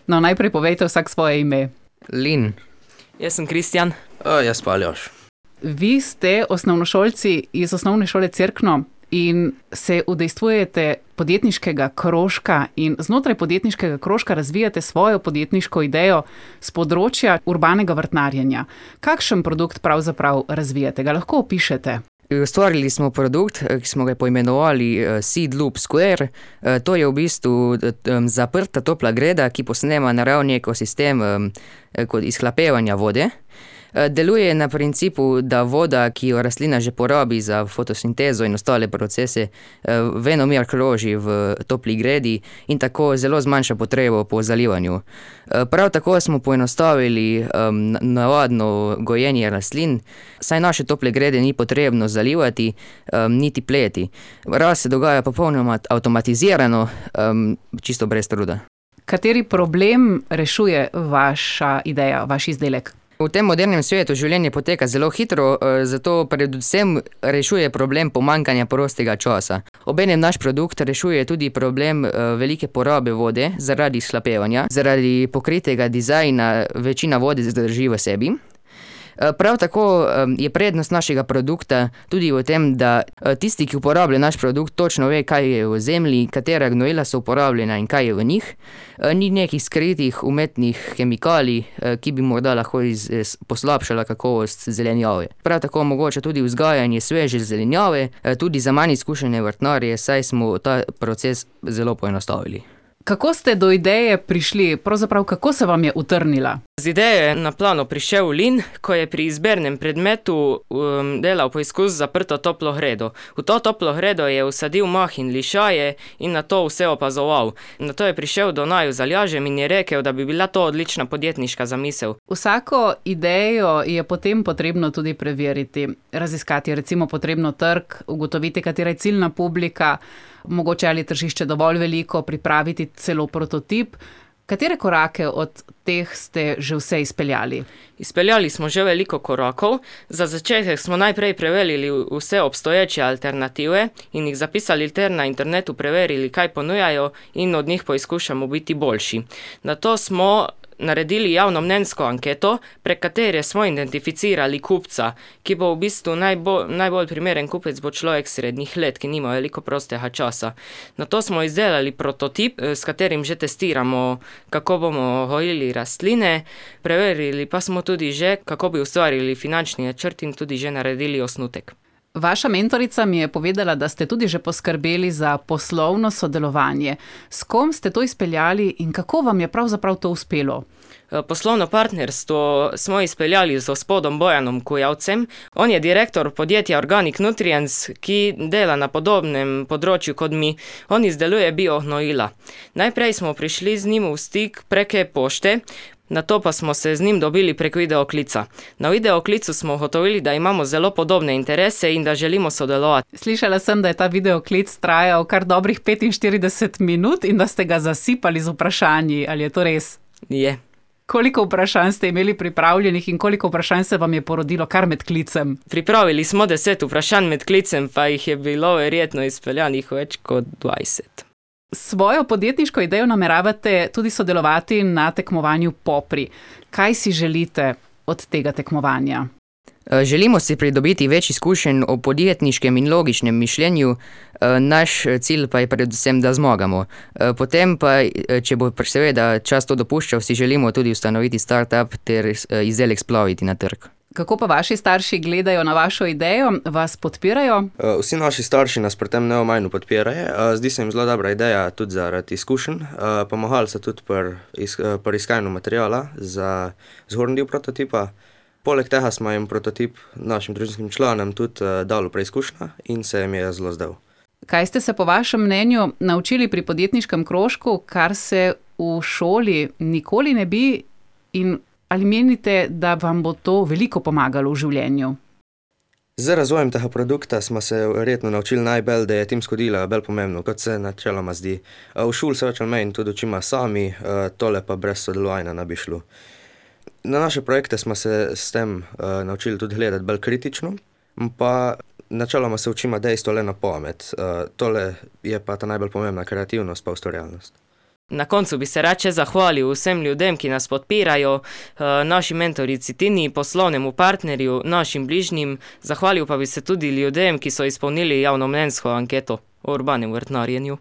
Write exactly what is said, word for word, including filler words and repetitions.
No, najprej povejte vsak svoje ime. Lin. Jaz sem Kristjan. O, jaz pa Aljoš. Vi ste osnovnošolci iz osnovne šole Cerkno in se udejstvujete podjetniškega krožka in znotraj podjetniškega krožka razvijate svojo podjetniško idejo z področja urbanega vrtnarjenja. Kakšen produkt pravzaprav razvijate? Ga lahko opišete? Ustvarili smo produkt, ki smo ga poimenovali Seed Loop Square. To je v bistvu zaprta topla greda, ki posnema naravni ekosistem kot izhlapevanja vode. Deluje na principu, da voda, ki jo rastlina že porabi za fotosintezo in ostale procese, venomer kroži v topli gredi in tako zelo zmanjša potrebo po zalivanju. Prav tako smo poenostavili um, navadno gojenje rastlin, saj naše tople grede ni potrebno zalivati, um, niti pleti. Rast se dogaja popolnoma avtomatizirano, um, čisto brez truda. Kateri problem rešuje vaša ideja, vaš izdelek? V tem modernem svetu življenje poteka zelo hitro, zato predvsem rešuje problem pomanjkanja prostega časa. Obenem naš produkt rešuje tudi problem velike porabe vode zaradi izhlapevanja. Zaradi pokritega dizajna večina vode zadrži v sebi. Prav tako je prednost našega produkta tudi v tem, da tisti, ki uporablja naš produkt, točno ve, kaj je v zemlji, katera gnojila so uporabljena in kaj je v njih. Ni nekih skritih umetnih kemikalij, ki bi morda lahko iz, poslabšala kakovost zelenjave. Prav tako omogoča tudi vzgajanje sveže zelenjave, tudi za manj izkušene vrtnarje, saj smo ta proces zelo poenostavili. Kako ste do ideje prišli? Pravzaprav, kako se vam je utrnila? Z idejo je na plano prišel Lin, ko je pri izbernem predmetu um, delal poizkus z zaprto toplo gredo. V to toplo gredo je vsadil mah in lišaje in na to vse opazoval. Nato je prišel do naju z Aljažem in je rekel, da bi bila to odlična podjetniška zamisel. Vsako idejo je potem potrebno tudi preveriti, raziskati, recimo potrebno trg, ugotoviti, katera je ciljna publika, mogoče ali tržišče dovolj veliko, pripraviti celo prototip. Katere korake od teh ste že vse izpeljali? Izpeljali smo že veliko korakov. Za začetek smo najprej preverili vse obstoječe alternative in jih zapisali ter na internetu preverili, kaj ponujajo in od njih poizkušamo biti boljši. Nato smo naredili javnomnenjsko anketo, prek katere smo identificirali kupca, ki bo v bistvu najbolj, najbolj primeren kupec bo človek srednjih let, ki nima veliko prostega časa. Nato smo izdelali prototip, s katerim že testiramo, kako bomo gojili rastline, preverili pa smo tudi že, kako bi ustvarili finančni načrt in tudi že naredili osnutek. Vaša mentorica mi je povedala, da ste tudi že poskrbeli za poslovno sodelovanje. S kom ste to izpeljali in kako vam je pravzaprav to uspelo? Poslovno partnerstvo smo izpeljali z gospodom Bojanom Kujavcem. On je direktor podjetja Organic Nutrients, ki dela na podobnem področju kot mi. On izdeluje biognojila. Najprej smo prišli z njim v stik prek pošte, nato pa smo se z njim dobili prek videoklica. Na videoklicu smo ugotovili, da imamo zelo podobne interese in da želimo sodelovati. Slišala sem, da je ta videoklic trajal kar dobrih petinštirideset minut in da ste ga zasipali z vprašanji. Ali je to res? Je. Koliko vprašanj ste imeli pripravljenih in koliko vprašanj se vam je porodilo kar med klicem? Pripravili smo deset vprašanj med klicem, pa jih je bilo verjetno izpeljanih več kot dvajset. Svojo podjetniško idejo nameravate tudi sodelovati na tekmovanju Popri. Kaj si želite od tega tekmovanja? Želimo si pridobiti več izkušenj o podjetniškem in logičnem mišljenju, naš cilj pa je predvsem, da zmagamo. Potem pa, če bo seveda čas to dopuščal, si želimo tudi ustanoviti startup ter izdelek splaviti na trg. Kako pa vaši starši gledajo na vašo idejo? Vas podpirajo? Vsi naši starši nas pri tem neomajno podpirajo. Zdi se jim zelo dobra ideja tudi zaradi izkušenj. Pomagali so tudi pri, pri iskanju materijala za zgornji del prototipa. Poleg tega smo jim prototip našim družinskim članom tudi dali preizkušnja in se jim je zelo zdel. Kaj ste se po vašem mnenju naučili pri podjetniškem krožku, kar se v šoli nikoli ne bi, in ali menite, da vam bo to veliko pomagalo v življenju? Z razvojem tega produkta smo se verjetno naučili najbolj, da je timsko delo bolj pomembno, kot se načeloma zdi. V šoli se več ali manj tudi učimo sami, tole pa brez sodelovanja ne bi šlo. Na naše projekte smo se s tem uh, naučili tudi gledati bolj kritično, pa načeloma se učimo dejstvo le na pamet. Uh, tole je pa ta najbolj pomembna kreativnost pa ustvarjalnost. Na koncu bi se rad še zahvalil vsem ljudem, ki nas podpirajo, naši mentorici Tini, poslovnemu partnerju, našim bližnjim. Zahvalil pa bi se tudi ljudem, ki so izpolnili javnomnenjsko anketo o urbanem vrtnarjenju.